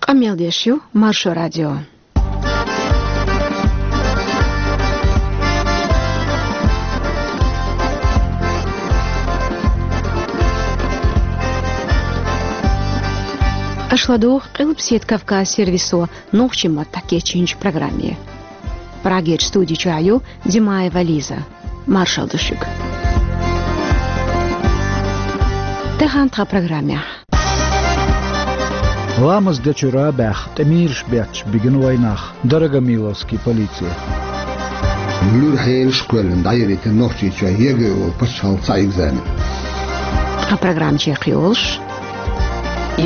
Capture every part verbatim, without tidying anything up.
Къамел деш ю Маршо радио. Аша ладугӀу Къилбаседа Кавказ сервисо нохчийн маттахь кечйинчу программе. Прагерчу студи чохь ю Димаева Лиза. Маршалла ду шуьга. Тахана тхан программехь. Ламаз дечуьра а баьхна, тӀемираш бетташ бигина вайнах Дорогомиловский полице. Луьра хьелаш а кхоьллина дӀайиритина Нохчийчохь ЕГЭ олу пачхьалкхан цхьа экзамен. Тхан программа чекхйолуш.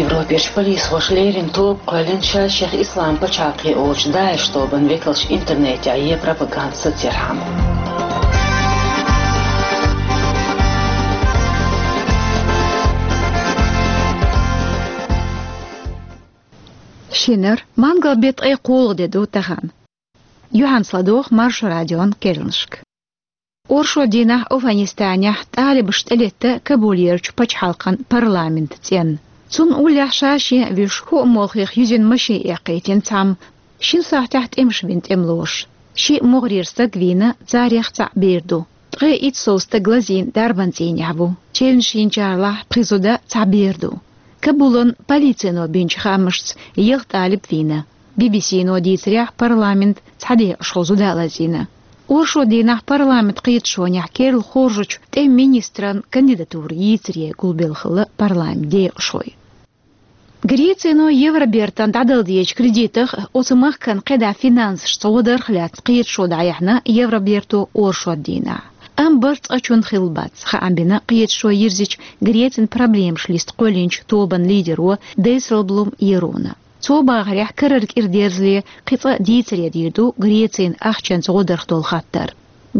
Европерчу полисхоша леррина тоба кхоьллина шаьш-шех Ислам пачхьалкхе олучу ДАИШ тобанан векалш интернетехь ен пропаганда сацархьама. Шинара, мангал беттан ткъе кхоалгӀа де ду тахана. Юьхьанца ладогӀа Маршо радион керланашка. Оршот дийнахь Афганистанехь талибаша тӀелетта Кабулерчу пачхьалкхан парламент цӀенна. Цунна уллехь ша-шен а вуьйш, хӀоъ молхех юьзина машен эккхийтина цхьамма, шина сахьтехь тӀемаш бина тӀемалоша. Шиъ могӀарера стаг вийна, царех цхьаъ бер ду. Ткъе итт сов стаг лазийна дарбан цӀийнехь ву. Чевнаш йинчарлахь пхи зуда, цхьа бер ду. Кабулан полицино бинчу хаамашца, ялх талиб вийна. Би-би-сино дийцарехь, парламент цхьа декъашхо зуда а лазийна. Оршот дийнахь парламент кхеташонехь керла хоржучу тӀеман министран кандидатура йийцаре гулбелла хилла парламент декъашхой. Грецино Евробертан дӀадала дезачу кредитах, оцу махкана кхидӀа финансашца гӀо дарх лаьцна кхеташо дӀаяьхьна Евроберто оршот дийнахь. Амма барт цкъачунна хилла бац, хаам бина кхеташо йирзича Грецин проблемаш листа кхоьллинчу тобанан лидеро Дейселблум Ерона. Цо бахарехь, карара кӀира дерзале кхин цкъа дийцаре дийр ду Грецин ахчанца гӀо дарх долу хаттар.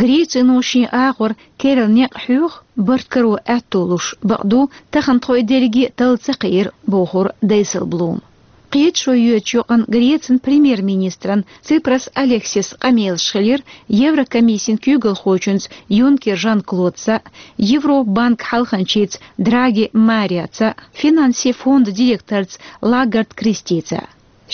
Грецино шен агӀор керла некъ хьоьху, барт каро аьтто луш, бакъду, тахана тхо и дерриге а талла ца кхиира, бохура Дейселблума. Кхеташо йоьдучу юкъана Грецин премьер-министран Ципрас Алексисан къамелаш хилира Еврокомиссин куьйгалхочуьнца Юнкер Жан-Клодца, Европан банкан хьалханчица Драги Мариоца, финансийн фондан директорца Лагард Кристица.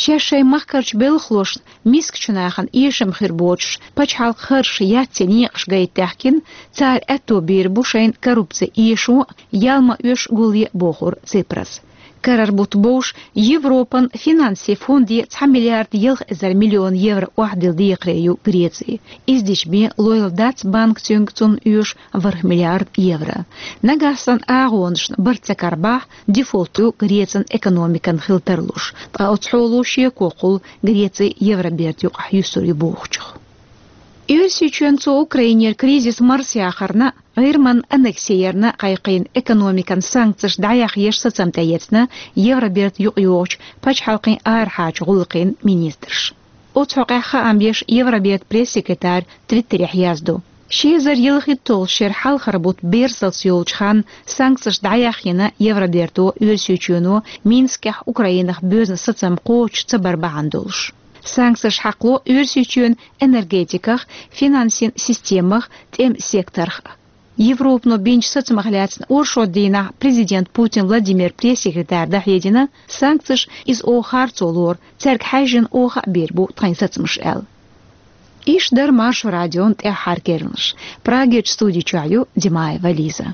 Шаьш шайн махкарчу белхалошна, мискачу нахана эшам хир боцуш, пачхьалкхан харжаш яц церан некъаш гайта даьхкина, цара аьтто бийр бу шайна коррупци эшо а, ял ма оьшу гулъе а, бохура Ципраса. Карара бутт бовш, Европан финансийн фонде цхьа миллиард ялх эзар миллион евро охьадилла декхаре ю Греци. Иза дича бен лойла дац банка цуьнга цунна оьшу ворхӀ миллиард евро. Нагахь санна агӀонашна барт ца карабахь, дефолт ю Грецин экономикан хила тарлуш. Ткъа оцу хьоло шеко кхуллу Греци Евроберта юкъахь юьсур ю бохучух. Оьрсийчоьнна цо Украинера кризис марсаяхарна, ГӀирман аннекси ярна кхайкхийна экономикан санкцеш дӀаяхъеш сацам тӀеэцна Евроберта юкъайогӀучу пачхьалкхийн арахьарчу гӀуллакхийн министраша. Оцу хьокъехь хаам беш Евроберта пресс-секретарь Твиттерехь яздо. Ши эзар ялхитталгӀачу шеран хьалхара бутт берсалц йолчу ханна санкцеш дӀаяхъйина Евроберто Оьрсийчоьно Минскехь Украинах боьзна сацам кхочуш ца бар бахьана долуш. Санкцеш хьакхало Оьрсийчоьнан энергетиках, финансийн системах, тӀеман секторах а. Европано бинчу сацамах лаьцна оршот дийнахь президент Путин Владимир пресс-секретарь дӀахьедина, санкцеш иза оха харцо лору, цаьрга хьаьжжина оха а бийр бу тхайн сацамаш аьлла. Иштта дара Маршо радион тӀаьххьара керланаш. Прагерчу студи чохь ю Димаева Лиза.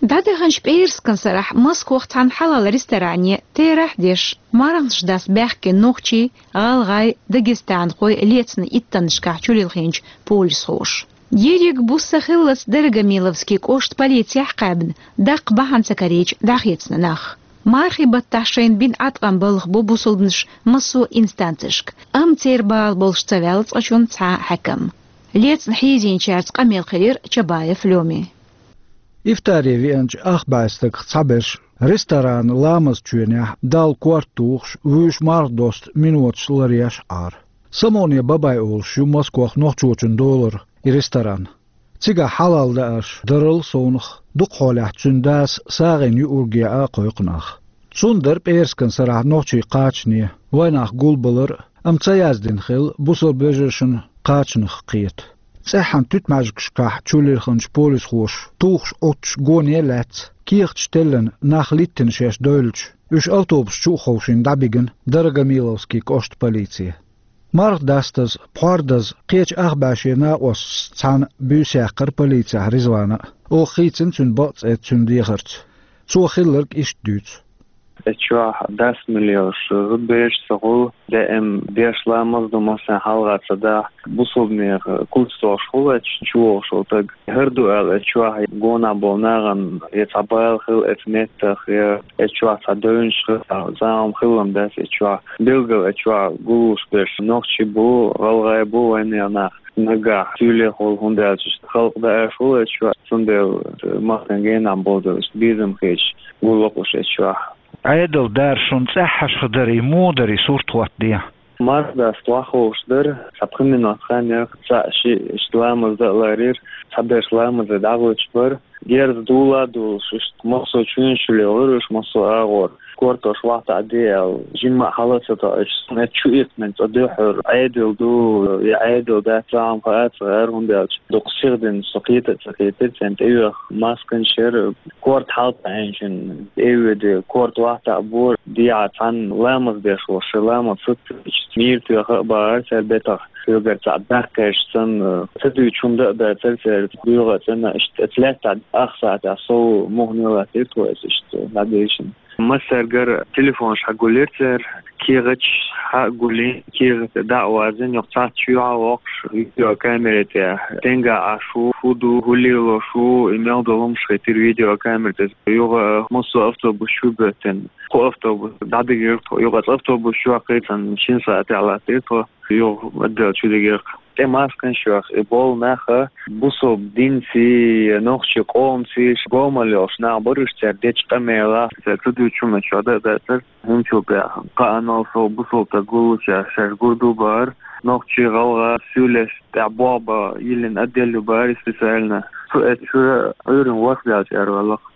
ДӀадаханчу пӀераскан сарахь Москвахь цхьана хьалал ресторане терахь деш, марханаш дас баьхкина нохчий, гӀалгӀай, дагестанхой лецна иттаннашкахь чулилхинчу полисхоша. Ерриг буса хиллалц Дорогомиловский кӀошт полицехь кхаьбна, даккха бахьана ца карийча дӀахецна нах. Мархи баттахь шайна бина Ӏаткъам балха бу бусулбанаш массо а инстанцешка, амма церан бала болуш ца ваьлла цкъачунна цхьа а хьаькам. Лецна хьийзийначаьрца къамел хилира Чабаев Лёми. Ифтаре веанчу ах бӀе стагах цхьаберш ресторанан ламазан чоьнехь Далла корта тухуш, вуьйш марха досту миноташ ларъеш Ӏара. Самоне Бабай олуш ю Москвахь нохчочун долара и ресторан. Цигахь хьалал даарш дарал совнах, дукха хьолехь цуьнан дас сагӀина юург яа кхойкху нах. Цунна дара пӀераскан сарахь нохчий кхачане, вайнах гулбалар а, амма ца яздина хилла бусалба вежаршна кхачанах кхета. ЦӀеххьана туьтмаьжгашкахь чулирханчу полисхоша тухуш Ӏуттуш гоне а лаьцна, кехаташ теллина нах литтина шаьш девлча, уьш автобус чу а ховшийна дӀабигина Дорогомиловский кӀоштан полице. Марха дастаза, пхьор даза, кхечу ах бӀе шен накъосташца цхьаьна буьйса яьккхира полицехь Ризвана а. Оха хийцина цуьнан бакъ цӀе цуьнан дехарца. Цо хилларг иштта дуьйцу. Эцу чохь дас миллионаш зудбераш ца хуьлу, даим деш ламаз ду, массарна хьалха ца дахь, бусулбанех куц тохуш хуьлу эцу чу вогӀуш волу стаг. ХӀара ду аьлла, эцу чохь гонах болу нахана я цхьа бала хила эцу меттах, я эцу чохь цхьа девнаш хила, цхьа хӀума хилла дац эцу чохь. Билггал эцу чохь гуллуш берш нохчий бу, гӀалгӀай бу, вайнех нах. Нагахь суьйлех волу, хӀунда аьлча халкъ даа аш волу эцу чохь, цундела массарна генахь болу дела, безам хеташ гуллакх уьш эцу чохь. Ӏедал дара шуна цӀеххьашха дара, и муха дара, и сурт хӀоттаде? Марха даста вахховш дара, цхьа пхи минот хан яра, цхьаъ шиъ иштта ламаз дан а ларийра, цхьаберш ламазе дӀагӀуьттуш бара. Герз дула а дулуш, иштта массо а чуьнаш чу лелхира уьш, массо а агӀор. Кортош вахтахь де аьлла, жимма а хьала ца тоьуш, эцу чу итт мин цкъа дуьххьара, Ӏедал ду, я Ӏедал дац, цхьа хӀума хаа ца гӀара, хӀунда аьлча дукха сихдина со кхета а ца кхетира, царна тӀеоьху масканаш яра, корта хьалатаӀийначун тӀе а веди, корта вахтахь бора, дехьа цхьаьна ламаз деш волуш, шайн ламаз сацийча, мийра тоьха а бахара цара бетах, соьгара цхьаъ баьккхича санна, ца дуьйцуш хӀума дан а дацара церан, доьгӀа а цӀена, иштта эцу лаьттахь ах сахьтехь сов муххале латтийра тхо эцу иштта дӀадийшина. Массаьргара телефонаш хьагулйира цара, кехаташ хьа а гулйина, кехат дӀа а вазийна, юха цхьацца чоьхьа а воккхуш, видеокамера тӀехь стенга Ӏаш ву, хӀун ду, хӀун лелош ву, и мел долу хӀумаш хийтира видеокамера тӀе. Юха массо а автобус чу боьттина, кху автобус дӀадигира тхо, юха оцу автобус чохь кхийцина шина сахьтехь латтийра тхо, юха отдел чу дигира. ТӀе масканаш йоху, и болу нах бусалба динций, нохчийн къомций, гомал йолуш нах бара уьш, цара дечу къамелах, цара ца дуьйцучу хӀуманаш чохь дан а дацара, хӀинцул тӀехь кхаанал сов бусалба стаг гуллучохь шаьш гур ду бахара, нохчий, гӀалгӀа суьйлеш тӀехь болх бан йиллина отдел ю бахара и специально. Цу эцу чуьра Ӏуьйранна ворхӀ даьлча араваьлла-кх.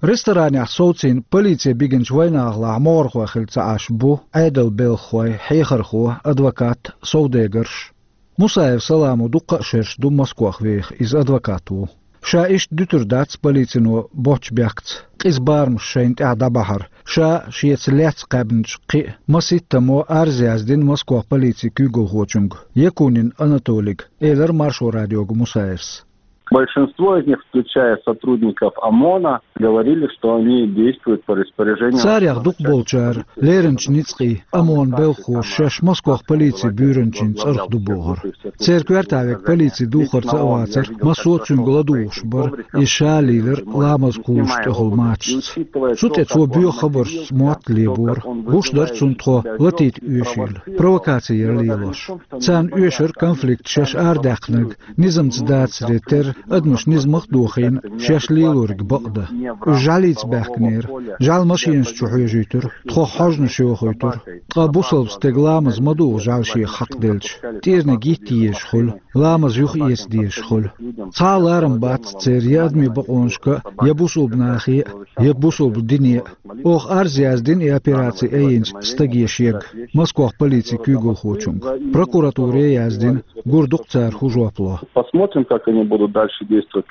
Ресторанехь совцийна полице бигинчу вайнахалахь могӀархой хилла ца Ӏаш бу Ӏедалан белхахой, хьехархо, адвокат, совдегарш. Мусаев Саламо дуккха а шераш ду Москох веха, иза адвокат ву. Ша иштта дуьтур дац полицино боцчу бехкаца, къиза барамаш шайна тӀехь дӀабахьар, ша шеца лаьцна кхаьбначу кхин а масийттамо арз яздина Москох полицин куьйгалхочуьнга, Якунин Анатолийга, элира Маршо радиога Мусаевс. Большинство из них, включая сотрудников ОМОНа, говорили, что они действуют по распоряжению. Царех дукхахболчара лерринчу ницкъийн ОМОН-ан белхахоша шаьш Москох полицин буьйранчин цӀарах ду бохура. Церан коьрта верг полицин духарца а вацара, массо а цуьнга ладугӀуш бара, иза ша лийлира ламаз кхуллуш тӀехула мачашца. Цу тӀе цо боьха хабаршца мотт лебора, гуш дара цунна тхо латийта оьшийла, провокаци яра лелош. Царна оьшура конфликт шаьш арадаьккхинарг низамца дацаре терра, адамаш низамах а дохийна, шаьш лелориг бакъдан. Уьш жӀаьлица баьхкинера, жӀаьла машинаш чу хьоьжуьйтура, тхох хьожанаш йохуьйтура. Ткъа бусалба стеган ламаз ма дугӀу жӀаьла шех хьакхаделча, тӀераниг йитта езаш хуьлу, ламаз юха эца дезаш хуьлу. Цхьа а ларам бац церан я адамийн бакъонашка а, я бусалба нахе а, я бусалба дине а. Оха арз яздина и операци айинчу стаге шега, Москох полицин куьйгалхочуьнга. Прокуратуре а яздина, гур ду-кх цара хӀун жоп ло. Посмотрим, как они будут дальше действовать.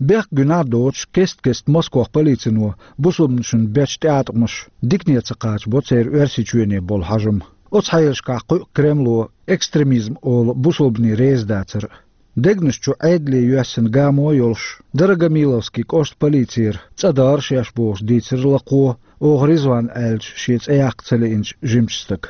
Бехк гуьнахь а доцуш, кест-кеста Москох полицино бусалбанашна бечу тӀеӀаткъамаша дикане ца кхачабо церан Оьрсийчоьне болу хьажам. Оцу хьелашкахь кхуьу Кремло экстремизм олу бусалбане реза дацар а. Дегнаш чу Ӏедале йоьссина гамо а йолуш, Дорогомиловский кӀоштан полицера цӀа дара шаьш бохуш дийцира лакхо, оха Ризван аьллачу шен цӀе яккха ца лиъначу жимачу стага.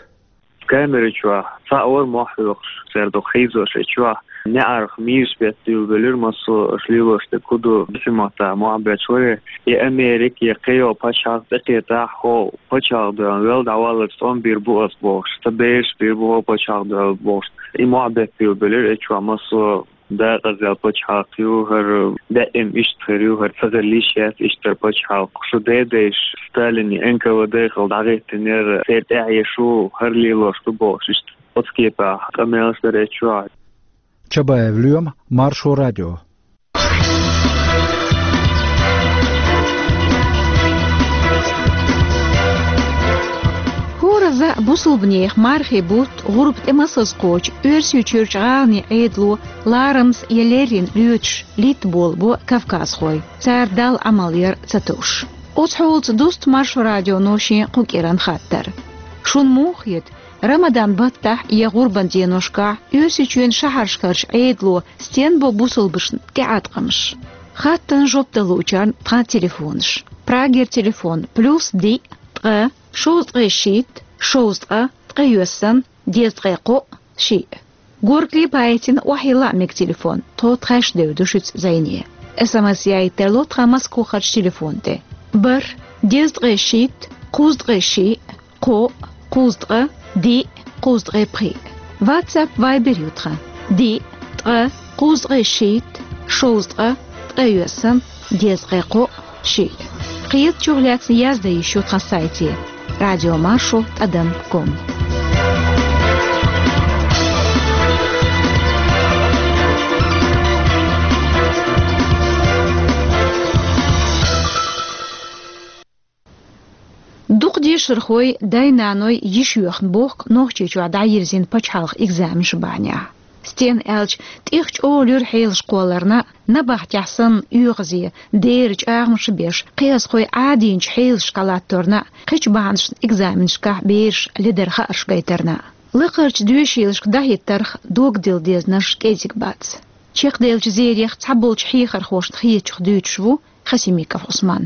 Камера чохь цхьаъ вара мохь хьоькхуш, цара дукха хьийзош эцу чохь. НеӀарх мийраш беттийла белира, массо а аша лелош дерг хӀун ду, бисин маттахь мохь бетташ вара. Я Америка, я кхийолу пачхьалкх тӀекхетахь, хӀо пачхьалкх дуьхьал вел дӀаваллалц тӀом бийр бу ас бохуш, сан бераш бийр бу хӀо пачхьалкх дуьхьал бохуш. И мохь беттийла белира эцу чохь массо а. Декъаза пачхьалкх ю хӀара, даим иштта хир ю хӀара, ца хила йиш яц иштта пачхьалкх. Шу дедайша Сталинан Н К В Д хилла дӀахӀиттинера, церан тӀаьхье шу хӀара лелош ду бохуш, иштта оцу кепехь къамелаш дара эцу чохь. Чабаев Лоьма, Маршо радио. Иза бусалба нехан мархий бутт, гӀурба тӀе масаза кхочу Оьрсийчуьрчу гӀаланийн Ӏедало ларамаза я леррина лоьцуш литта болабо кавказхой, цара Далла Ӏамал яр ца товш. Оцу хьолаца дуста Маршо радионо шен кху кӀиран хаттар. Шуна муха хета, Рамадан баттахь я гӀурбан деношкахь Оьрсийчоьнан шахьаршкарчу Ӏедало стенна бо бусалбашна тӀеӀаткъамаш? Хаттарна жоп дала луучарна тхан телефонаш. Прагера телефон: плюс диъ, ткъа, шовзткъе шийтта, шовзткъа, ткъе йоьссан, дезткъе кхоъ, шиъ. Горгали, Паитина охьайилла а мега телефон, тхо тхаьш девр ду шуьца зӀене. СМС яийта тарло тхан Москвахарчу телефон тӀе: бархӀ, дезткъе шийтта, кхузткъе шиъ, кхоъ, кхузткъа, диъ, кхузткъе пхиъ. WhatsApp, Viber ю тхан: диъ, ткъа, кхузткъе шийтта, шовзткъа, ткъе йоьссан, дезткъе кхоъ, шиъ. Кхетачух лаьцна яздан йиш ю тхан сайте: радио маршо тӀадам ком. Дукха дешархой, дай-наной йиш йоьхна бохку Нохчийчохь дӀайирзина пачхьалкхан экзаменаш бахьанехь. Стенна аьлча, тӀех чӀогӀа луьра хьелаш кхолларна а, набахтехь санна оьгӀазе, дера чӀагӀамаш а беш, кхиазхой Ӏадийначу хьелашкахь латторна а, кхечу бахьанашна экзаменашкахь бераш ледар хаарш гайтарна а. Лакхарчу доьшийлашка дӀахӀиттарх догдилла дезанаш кӀезиг бац. Чекхделлачу зерех цхьаболчу хьехархошна хетачух дуьйцуш ву Хасимиков Ӏусман.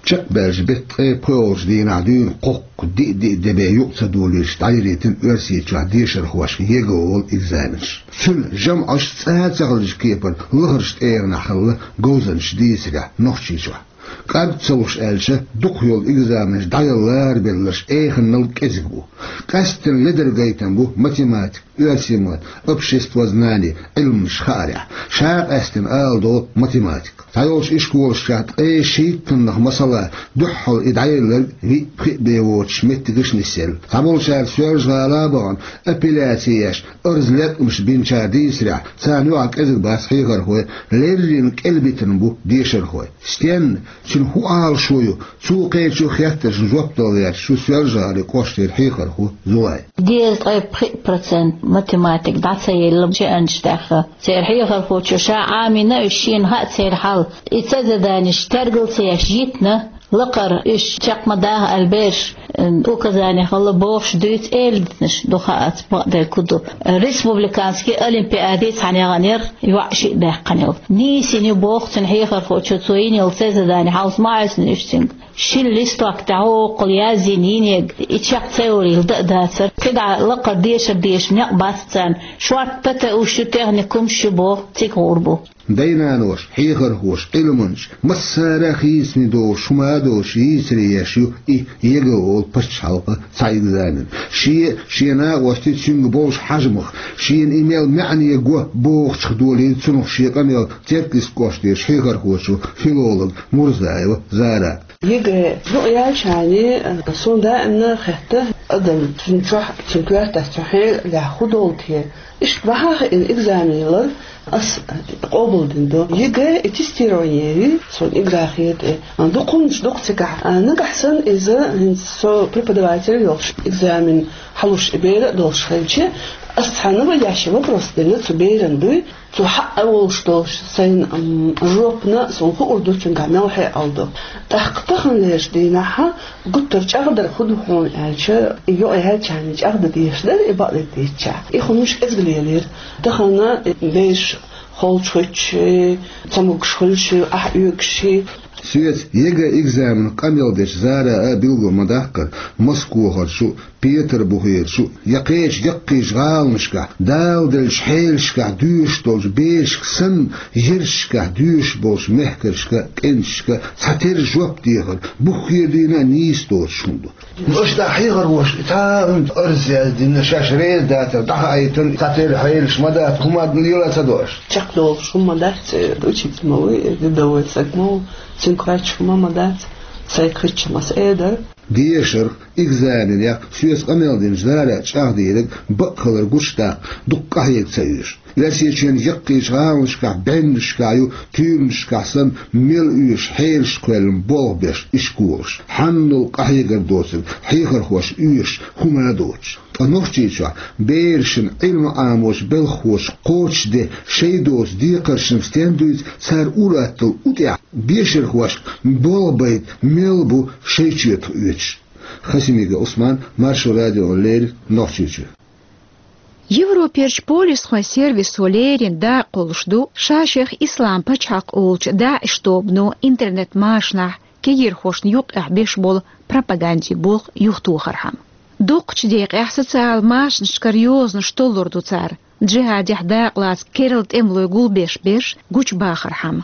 Чекхбаьллачу беттан ткъе пхоьалгӀачу дийнахь дуьйна кхоккха диъ-диъ де бен юкъа ца долуьйтуш дӀайирзина Оьрсийчохь дешархошка ЕГЭ олу экзаменаш. Цуьнан жамӀаш цкъа а ца хилчу кепара лахарчу тӀегӀанехь хилла говзанчаша дийцарехь Нохчийчохь. КӀарг ца луш аьлча, дукха йолу экзаменаш дӀаяла ларабелларш эханал кӀезиг бу. Къаьсттина ледар гайтам бу математика, оьрсийн мат, обществознание Ӏилманаш хаарехь. Ша къаьсттина ала долу математика. Цхьайолчу ишколашкахь ткъе шийттаннах, масала, дуьххьал и дӀаелларг виъ-пхиъ бен воцуш меттигаш нисъелла. Цхьаболчара Соьлжа-ГӀала а бахана, апелляци еш, арз-латкъамаш бинчара дийцарехь, царна юкъахь кӀезиг бац хьехархой, леррина кӀелбитина бу дешархой. Стенна, цуьнан хӀун Ӏалашо ю, цу кхечу хеттаршна жоп дала гӀерташ ву Соьлжа-ГӀалин кӀоштара хьехархо Зулай. Дезткъе пхиъ процент математика дӀа ца елла шиъанчу тӀехь. Церан хьехархочо ша Ӏамийна уьш, шена хаьа церан хьал. И цхьа заданиш тергал ца еш йитина, лакхара уьш чекх ма даха аьлла бераш, м, указани хилла бохуш дуьйцу, эладитанаш ду, хаац бакъдерг хӀун ду. Республиканский олимпиаде цхьаьна яханера йоӀ шиъ даьккхина йолу. Нийсина ю боху цуьнан хьехархочо цо йина йолу цхьа задани, хьовса ма Ӏоьсина уьш цуьнга. Шина листок тӀехь хӀокхул яздина йинега, и чекх ца йолийла дан а дацара. КхидӀа лакхара дешар дезаш некъ бац царна. Шорта ПТУ-ш ю, техникумаш ю боху, цига гӀур бу. Дай-наноша, хьехархоша, Ӏилманчаша, массара а хийцаме долуш, хӀума а долуш, йийцаре еш ю и ЕГЭ олу пачхьалкхан цхьа экзамен. Шен, шен накъостий, цуьнга болуш хьажамах, шена и мел маьӀне го бохучух долийла цунах шен къамел Теркйист кӀоштарчу хьехархочо, филолог Мурзаева Зара. ЕГЭ юкъаяьллачарна, суна даимна хетта, адам цуьнан чохь, цуьнан коьртехь цуьнан хьелехь хӀун долу те. Иштта бахьа а хиъна экзамен лар ас къобалдина ду. ЕГЭ и тестирование ю, суна игра хета и. Дукха хӀуманаш ду-кх цигахь. Нагахь санна иза, хӀинца со преподаватель йолуш, экзамен хьалуш и бер а долуш хилча, ас цхьа наводящий вопрос делла цу берана дуй. Цу хьаъа волуш долуш сайна, м, жопана суна хуур ду, цуьнгахь мел хьекъал ду. ТӀаккха таханлерчу дийнахьа гуттар а чӀагӀдар хӀун ду хьуна аьлча, и юкъаяьллачарна чӀагӀдан дезаш дара, и бакъдерг дийцича. И хӀуманаш кӀезиг лелийра. Тахана и бераш холчухуьйтуш, ца могуш хуьлуш, ахь оьгуш. Соьца ЕГЭ экзаменах къамел дечу Зара а билгал ма даккхара, Москвахарчу, Петарбухерчу я кхечу яккхийчу гӀаланашкахь, Дала деллачу хьелашкахь доьшуш долчу берашка санна, ярташкахь доьшуш болчу мехкаршка, кӀенташка цхьатерра жоп дехар, буххера дийна а нийса доцуш хӀума ду. Аша дӀа хьехархошка цхьа а хӀума арз яздина, шаьш реза дацар дӀахаийтина, цхьатерра хьелаш ма дац, хӀума лела ца до аша. Чекхдолуш хӀума ма дац, учитель ма ву, рядовой стаг ма ву, цуьнга кхоьчуш хӀума ма дац, сайга хиъча ма ас эр дара. Дешарх, экзаменех соьца къамел динчу Зарас чӀагӀдийриг бакъ хилар гучудаккха дукха къахьега ца оьшу. Оьрсийчоьнан яккхийчу гӀаланашкахь, бӀеннашкахь ю, туьйранашкахь санна, мел оьшу хьелаш кхоьллина болх беш ишколаш. Хьанал къахьегар доцург хьехархоша оьшуш хӀума а доцуш. Ткъа Нохчийчохь берашна Ӏилма Ӏамочу белхахоша кхочушде шайн доцу декхаршна стен дуьйцу, цара ур-атталла утӀехь бешархошка болх байта мел бу шайн чоьтах оьцуш. Хасимиков Ӏусман, Маршо радиона леррина, Нохчийчоь. Европерчу полисхойн сервисо леррина дакъа кхуллуш ду ша-шех Ислам пачхьалкх олучу ДАИШ тобано интернет-машанахь кегирхошна юккъехь беш болу пропагандин болх юхатохархьама. Дукхачу декъехь социал машанашкара йозанаш толлур ду цара, джихӀадехь дакъалаца керла тӀемалой гулбеш берш гучубахархьама.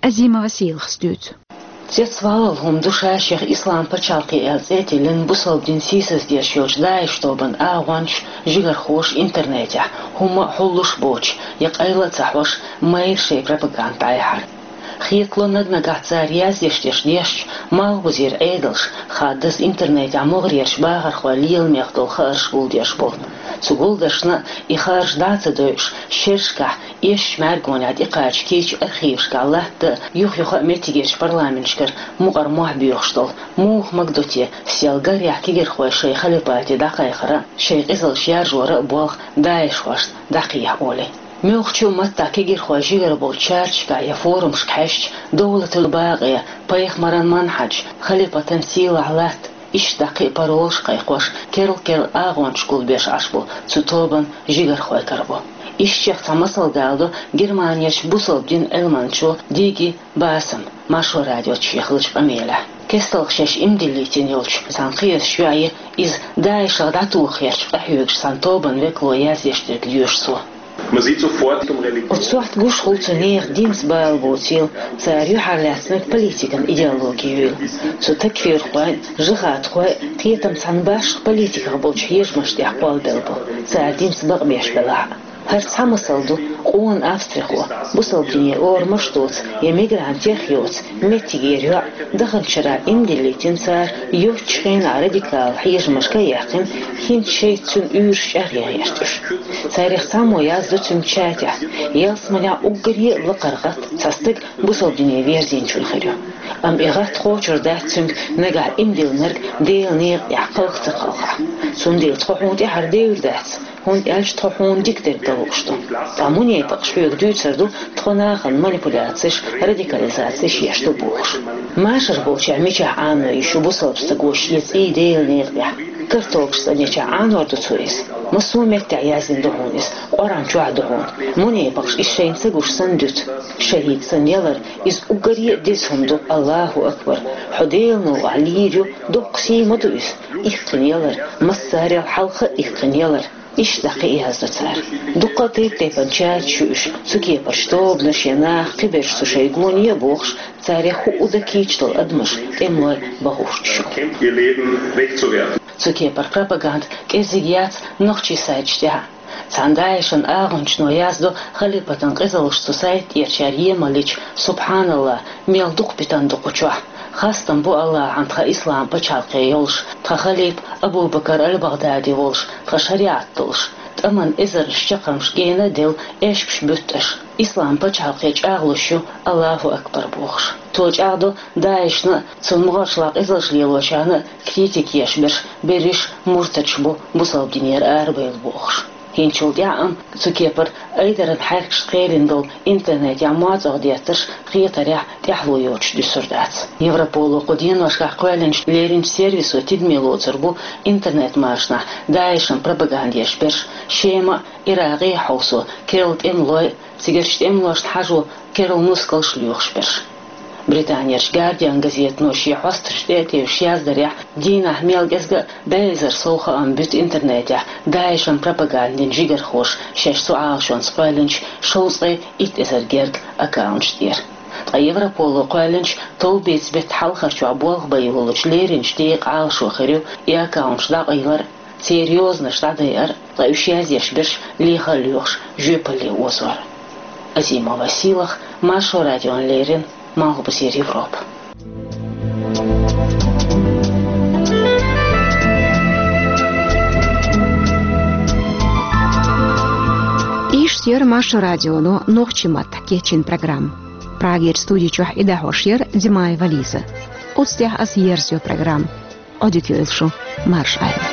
Азимова Сийлахас дуьйцу. Цецвалалла хӀума ду ша-шех Ислам пачхьалкх аьлла цӀе а тиллина, бусалба дин сийсаздеш йолчу ДАИШ тобанан агӀончаш, жигархоша интернетехь, хӀумма а хьуллуш боцуш, я къайла а ца хьош, майра шайн пропаганда дӀаяхьар. Хетало, наг-нагахь цара яздеш дерш дешча, малхбузера Ӏедалш, хаддаза интернетехь могӀарерчу бахархойн леламех долу хаарш гулдеш болу. Цу гулдаршна и хаарш дӀа а ца дойуш, шерашкахь, эшначу мӀаьргонехь тӀекхача кийча архивашкахь латта а, юх-юха а меттигерчу парламенташкара мукъара мохь боьхуш долу, муха магадо те, сел гарехь кегирхой шайн халипате дӀакхайкхара а, шайн къизаллаш яржора а болх ДАИШхошна дӀакхехьа олий. Муьлххачу а маттахь кегирхой жигара болчу чарташкахь я форумашка хьаьжча, довлатан бакъе, пайхамаран манхьаж, халипатан сийлахь латта, иштта дӀа кхин а паролаш кхайкхош, керла-керла агӀончаш гулбеш Ӏаш бу цу тобанан жигархой карабо. Ишттачех цхьа масал даладо Германерчу бусалба динан Ӏилманчо Диги Басам, Маршо радиоца шен хиллачу къамелехь. КесталгӀа шаьш иман диллийтина йолчу цхьана кхиазчу йоӀе, иза ДАИШах дӀатоха гӀерташ къахьоьгуш цхьана тобанан векало яздеш дерг лоьшу цо. Оцу сохьта гуш хуьлу цу нехан динца бала боцийла, цара юьхьарлаьцнарг политикан идеологи юйла. Цу такфирхойн, жихӀадхойн кхетам цхьана башха политиках болчу хьежамаш тӀехь кхоллабелла бу, цара динца бакъбеш белахь а. ХӀара цхьа масал ду, къона австрихо, бусалба динера орамаш доцу я мигрантех йоцу, меттигера йоӀ, даханчу шарахь иман диллийтина цара, йоццачу хенахь радикал хьежамашка а яьккхина, хӀинца шайца цуьнан уьйраш чӀагӀъян гӀерташ. Царех цхьаммо яздо цуьнан чатехь, ялсаманехь уггаре а лакхара гӀатта цхьа стаг бусалба дине верзийначунна хир ю. Амма и гӀатта кхочур дац цуьнга нагахь иман диллинарг Делан некъа тӀехь кхалха ца кхалхахь. Цундела тхо хьуна тӀаьхьара девр дац, хӀунда аьлча тхо хьуна дика дерг дан лууш ду. Ткъа мунепакъаш хьоьга дуьйцур ду, тхо нахана манипуляцеш, радикализацеш еш ду бохуш. Машар болчохь мичахь Ӏано йиш ю бусалба стага шен цӀий Делан некъа тӀехь? Картолгаш цӀанъечохь Ӏанор ду цо иза? Массо а меттехь яздина ду хьуна иза, Къуръан чохь а ду хьуна. Мунепакъаш иза шайна ца гуш санна дуьту. ШахӀид санна ялар, иза уггаре а деза хӀума ду, Аллаху акбар. Хьо Делан новкъахь лийр ю, доккха сий ма ду иза. Иккхина ялар, массарел хьалха а иккхина ялар. Иштта дӀа кхин а яздо цара. Дуккха а тайп-тайпана чаташ ю уьш, цу кепарчу тобанаш я нах, кхиберш цу шайн гоне а бохуш, царех хӀуъу дан кийча долу адамаш тӀемалой бахуьйтуш ю. Цу кепара пропаганда кӀезиг яц нохчийн сайташ тӀехь а. Цхьана ДАИШан агӀончано яздо халипатан къизаллаш цу сайта тӀерачара емаллича, субхьаналлахӀ, мел дукха питана ду кху чохь. Хастам бу Аллахьан тхан ислам пачхьалкхе йолуш, тхан халипа Абу-Бакар аль-БагӀдади волуш, тхан шариӀат долуш, тӀаман эзарнаш чаккхармаш гена а делла, эшпаш буьттуш, ислам пачхьалкхе чӀагӀлуш ю, Аллаху акбар бохуш. Цо чӀагӀдо ДАИШна а, цунна могӀаршла къизаллаш лелочарна а критика еш берш берриш муртадаш бу, бусалба динера арабевлла бохуш. ХӀинцачул тӀаьхьа амма цу кепара айдаран хьаьркаш кхелина долу интернетехь моацӀагӀа деттарш хетарехь тӀаьхьало йоцуш дуьсур дац. Европоло кху деношкахь кхоьллинчу леринчу сервисо тидаме лоцур бу интернет-машанахь ДАИШан пропаганда еш берш, Шема а, Иракъе а хьовсо керла тӀемалой а, цигарчу тӀемалошна хьажо керла нускалш лоьхуш берш. Британерчу Гардиан газетано шен хьосташ тӀе а тевжаш яздарехь, дийнахь мел кӀезга а бӀе эзар сов хаам буьту интернетехь ДАИШан пропагандин жигархоша шаьш цу Ӏалашонца кхоьллинчу шовзткъе итт эзар герга аккаунташ тӀера. Ткъа Европоло кхоьллинчу товбеца беттан хьалхарчохь болх бан йолучу леринчу декъан Ӏалашо хир ю и аккаунташ дӀакъайлар а, церан йозанаш дӀадайар а, ткъа уьш яздеш берш леха а лоьхуш жоьпалле озор. Азимова Сийлаха, Маршо радиона леррина, Малхбузера Европа. Иштта Яр Маршо радионо нохчийн маттахь кечйина программа. Прагерчу студи чохь и дӀахьош яра Димаева Лиза. Оцу тӀехь аса ерзайо программа. Ӏодика йойла шу, марша Ӏайла.